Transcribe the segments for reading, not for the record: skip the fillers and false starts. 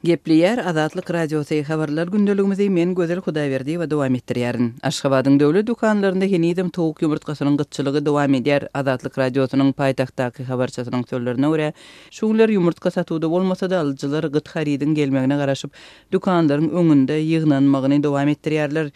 Gepleýär Azatlyk Radiosy, Habarlar gündeligimizi men Gözel Hudaýberdiýewa dowam etdirýärin. Aşgabadyň döwlet dükanlarynda henizem towuk ýumurtgasynyň gytçylygy dowam edýär. Azatlyk Radiosynyň paýtagtdaky habarçysynyň sözlerine görä, şu günler ýumurtga satuwda bolmasa-da, alyjylar gyt harydyň gelmegine garaşyp, dükanlaryň öňünde ýygnanmagyny dowam etdirýärler.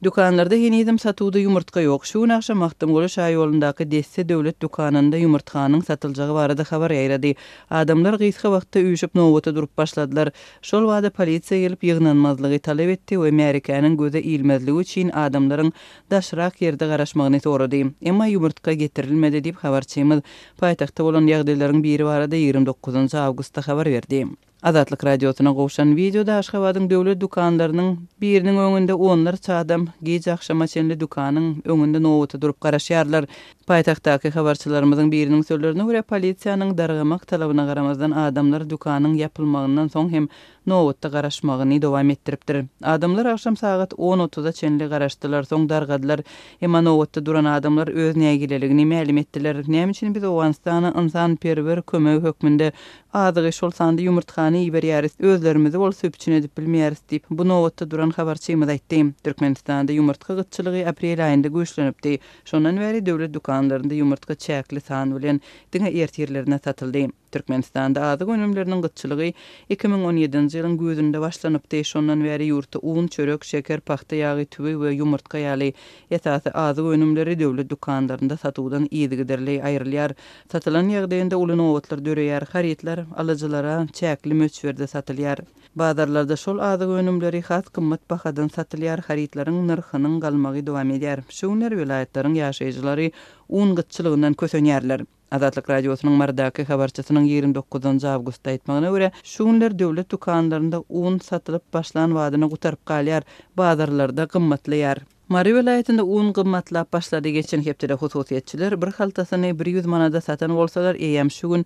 Dükanlarda henizem satuwda ýumurtga ýok. Şu gün agşam Magtymguly şaýolundaky Desse döwlet dükanynda ýumurtganyň satyljagy barada habar ýaýrady. Adamlar gysga wagtda üýşüp nobata durup başladylar. Şol bada polisiýa gelip ýygnanmazlygy talap etdi we märekäniň göze ilmezligi üçin adamlaryň daşrak ýerde garaşmagyny sorady. Emma ýumurtga getirilmedi diýip, habarçymyz paýtagtda bolan ýagdaýlaryň biri barada 29 awgustda habar berdi. Azatlyk Radiosyna gowşan wideoda Aşgabadyň döwlet dükanlarynyň biriniň öňünde onlarça adam gije agşama çenli dükanyň öňünde nobata durup garaşýarlar. Paýtagtdaky habarçylarymyzyň biriniň sözlerine görä, polisiýanyň dargamak talabyna garamazdan adamlar dükanyň ýapylmagyndan soň hem nobatda garaşmagyny dowam etdiripdir. Adamlar agşam sagat on otuza çenli garaşdylar, soň dargadylar. Emma nobatda duran adamlar öz nägileligini mälim etdiler. Näme üçin biz Owganystana ynsanperwer kömegi hökmünde Azygy, şol sanda ýumurtgany iberýäris, özlerimizi bolsa üpjün edip bilmeýäris diýip, bu nobatda duran habarçymyz aýtdy. Türkmenistanda ýumurtga gytçylygy aprel aýynda güýçlenipdi. Şondan bäri döwlet dükanlarynda ýumurtga çäkli san bilen, diňe ertirlerine satyldy. Türkmenistanda azyk önümleriniň gytçylygy 2017-nji ýylyň güýzünde başlanypdy. Şondan bäri ýurtda un, çörek, şeker, pagta ýagy, tüwi we ýumurtga ýaly esasy azyk önümleri döwlet dükanlarynda satuwdan yzygiderli aýrylýar. Satylan ýagdaýynda uly nobatlar döreýär, harytlar alyjylara çäkli möçberde satylýar. Bazarlarda şol azyk önümleri has gymmat bahadan satylýar, harytlaryň nyrhynyň galmagy dowam edýär. Şu günler welaýatlaryň ýaşaýjylary un gytçylygyndan kösenýärler. Azatlyk Radiosynyň Marydaky habarçysynyň 29 awgustda aýtmagyna görä, şu günler döwlet dükanlarynda un satylyp başlan badyna gutaryp galýar, bazarlarda gymmatlaýar. Mary welaýatynda un gymmatlap başlady. Geçen hepdede hususyýetçiler bir haltasyny 100 manada satan bolsalar, eýýäm şu gün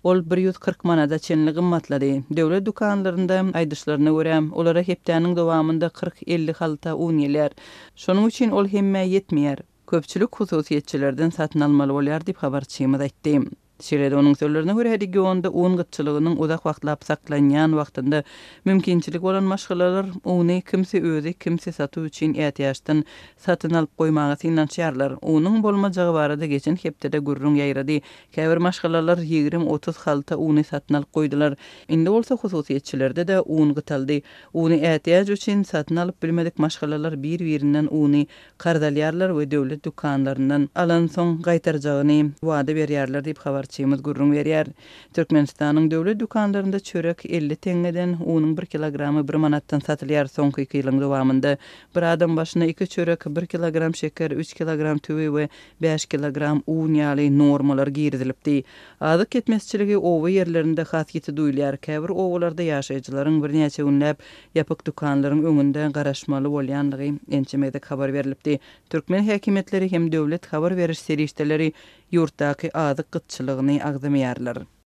ol 140 manada çenli gymmatlady. Döwlet dükanlarynda, aýdyşlaryna görä, olara hepdäniň dowamynda kyrk-elli halta un gelýär. Şonuň üçin ol hemmä ýetmeýär. Köpçülik hususyýetçilerden satyn almaly bolýar diýip, habarçymyz aýtdy. Şeýle-de onuň sözlerine görä, regionda un gytçylygynyň uzak wagtlap saklanýan wagtynda mümkinçiligi bolan maşgalalar uny kimsi özi, kimsi satuw üçin ätiýaçdan satyn alyp goýmaga synanyşýarlar. Unuň bolmajagy barada geçen hepdede gürrüň ýaýrady. Käbir maşgalalar ýigrimi-otuz halta uny satyn alyp goýdular. Indi bolsa hususyýetçilerde-de un gytaldy. Uny ätiýaç üçin satyn alyp bilmedik maşgalalar bir-birinden uny Karz alýarlar we döwlet dükanlaryndan alansoň gaýtarjagyny wada berýärler diýip, habarçymyz gürrüň berýär. Türkmenistanyň döwlet dükanlarynda çörek 50 teňňeden, unuň bir kilogramy bir manatdan satylýar. Soňky iki ýylyň dowamynda bir adam başyna iki çörek, bir kilogram şeker, üç kilogram tüwi we bäş kilogram un ýaly normalar girizilipdi. Azyk ýetmezçiligi oba ýerlerinde has ýiti duýulýar. Käbir obalarda ýaşaýjylaryň birnäçe günläp Ýapyk dükanlaryň öňünde garaşmaly bolýandygy ençeme gezek habar berlipdi. Türkmen häkimiýetleri hem döwlet habar beriş serişdeleri ýurtdaky azyk gytçylygyny agzamaýarlar.